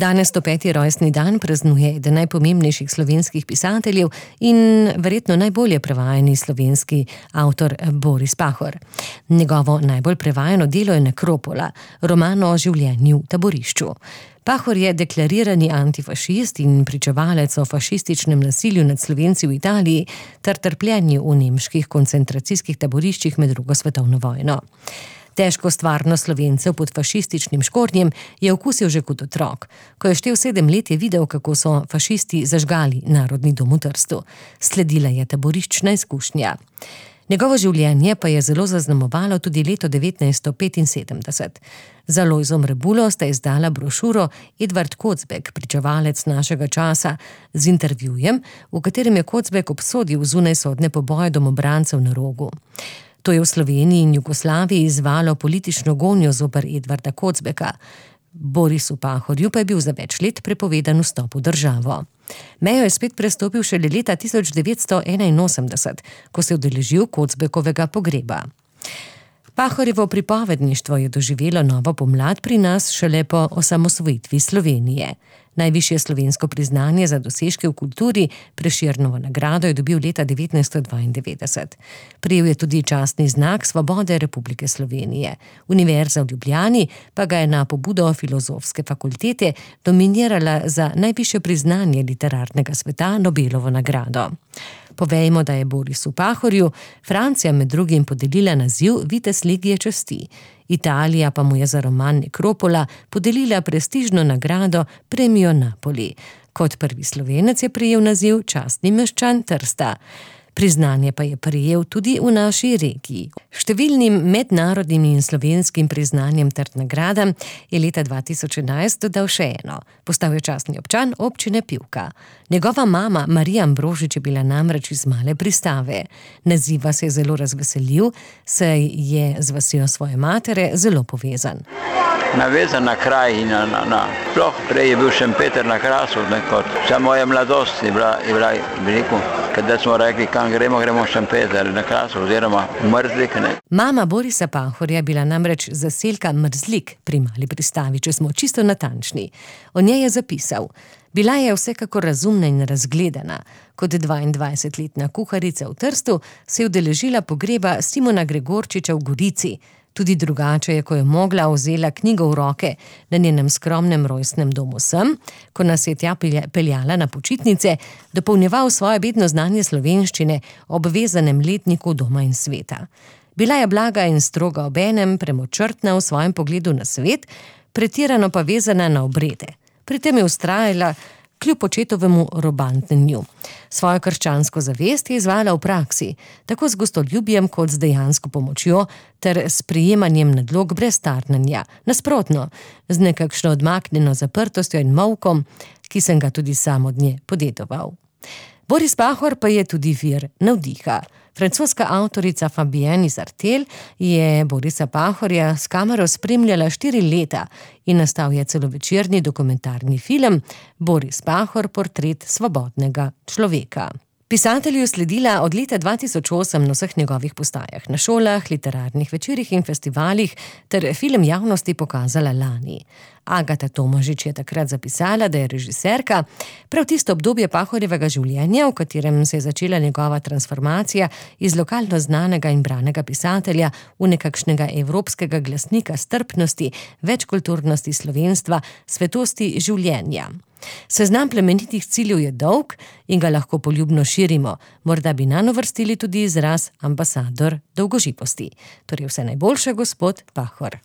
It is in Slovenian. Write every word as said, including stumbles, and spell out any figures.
Danes sto peti rojstni dan praznuje eden najpomembnejših slovenskih pisateljev in verjetno najbolje prevajani slovenski avtor Boris Pahor. Njegovo najbolj prevajano delo je Nekropola, roman o življenju v taborišču. Pahor je deklarirani antifašist in pričevalec o fašističnem nasilju nad Slovenci v Italiji ter trpljenju v nemških koncentracijskih taboriščih med drugo svetovno vojno. Težko stvarnost Slovencev pod fašističnim škornjem je okusil že kot otrok. Ko je štel sedem let, je videl, kako so fašisti zažgali Narodni dom v Trstu. Sledila je taboriščna izkušnja. Njegovo življenje pa je zelo zaznamovalo tudi leto devetnajststo petinsedemdeset. Za Lojzom Rebulo sta izdala brošuro Edvard Kocbek, pričevalec našega časa, z intervjujem, v katerem je Kocbek obsodil zunajsodne poboje domobrancev na Rogu. To je v Sloveniji in Jugoslaviji izvalo politično gonjo zoper Edvarda Kocbeka. Borisu Pahorju pa je bil za več let prepovedan vstop v državo. Mejo je spet prestopil šele leta tisoč devetsto enainosemdeset, ko se je udeležil Kocbekovega pogreba. Pahorjevo pripovedništvo je doživelo novo pomlad pri nas šele po osamosvojitvi Slovenije. Najvišje slovensko priznanje za dosežke v kulturi, Prešernovo nagrado, je dobil leta devetnajststo dvaindevetdeset. Prejel je tudi častni znak Svobode Republike Slovenije. Univerza v Ljubljani pa ga je na pobudo Filozofske fakultete nominirala za najvišje priznanje literarnega sveta, Nobelovo nagrado. Povejmo, da je Borisu Pahorju Francija med drugim podelila naziv vitez legije časti. Italija pa mu je za roman Nekropola podelila prestižno nagrado Premio Napoli. Kot prvi Slovenec je prejel naziv častni meščan Trsta. Priznanje pa je prejel tudi v naši regiji. Številnim mednarodnim in slovenskim priznanjem ter nagradam je leta dva tisoč enajst dodal še eno. Postal je častni občan občine Pivka. Njegova mama Marija Ambrožič je bila namreč iz Male Pristave. Naziva se je zelo razveselil, saj je z vasjo svoje matere zelo povezan. Navezan na kraj in na, na, na. Sploh prej je bil Šempeter na Krasu, nekot. Vsa moja mladost je bila, je bila, bi rekel, kada smo rekli, kam gremo, gremo v Šempeter na Krasu, oziroma Mrzlik, ne. Mama Borisa Pahorja je bila namreč zaselka Mrzlik pri Mali Pristavi, če smo čisto natančni. O njej je zapisal: bila je vsekakor razumna in razgledana. Kot dvaindvajsetletna kuharica v Trstu se je udeležila pogreba Simona Gregorčiča v Gorici. Tudi drugače je, ko je mogla, vzela knjigo v roke. Na njenem skromnem rojstnem domu sem, ko nas je tja peljala na počitnice, dopolnjeval svoje bedno znanje slovenščine ob vezanem letniku Doma in sveta. Bila je blaga in stroga obenem, premočrtna v svojem pogledu na svet, pretirano pa vezana na obrede. Pri tem je vztrajala kljub očetovemu robantnenju. Svojo krščansko zavest je izvajala v praksi, tako z gostoljubjem kot z dejansko pomočjo ter s prijemanjem nadlog brez tarnanja. Nasprotno, z nekakšno odmaknjeno zaprtostjo in molkom, ki sem ga tudi sam od nje podedoval. Boris Pahor pa je tudi vir navdiha. Francoska avtorica Fabienne Izartel je Borisa Pahorja s kamero spremljala štiri leta in nastal je celovečerni dokumentarni film Boris Pahor, portret svobodnega človeka. Pisatelju je sledila od leta dva tisoč osem na vseh njegovih postajah, na šolah, literarnih večerih in festivalih ter film javnosti pokazala lani. Agata Tomažič je takrat zapisala, da je režiserka prav tisto obdobje Pahorjevega življenja, v katerem se je začela njegova transformacija iz lokalno znanega in branega pisatelja v nekakšnega evropskega glasnika strpnosti, večkulturnosti slovenstva, svetosti življenja. Seznam plemenitih ciljev je dolg in ga lahko poljubno širimo. Morda bi nanj uvrstili tudi izraz ambasador dolgoživosti. Torej vse najboljše, gospod Pahor.